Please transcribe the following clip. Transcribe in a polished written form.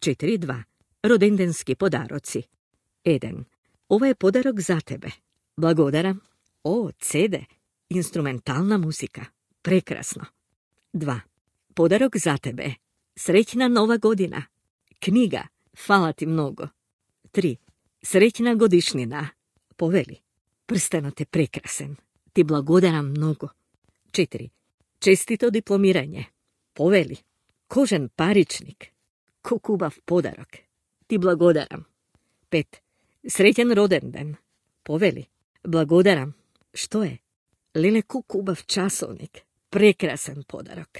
4.2. Rodendenski podaroci. 1. Ovo je podarok za tebe. Blagodaram. O, CD. Instrumentalna muzika. Prekrasno. 2. Podarok za tebe. Srećna nova godina. Knjiga. Hvala ti mnogo. 3. Srećna godišnjina. Poveli. Prsteno te prekrasen. Ti blagodaram mnogo. 4. Čestito diplomiranje. Poveli. Kožen paričnik. Ko kubav podarok. Ti blagodaram. 5. Srećan rodendan. Poveli. Blagodaram. Što je? Lele ko kubav časovnik. Prekrasan podarok.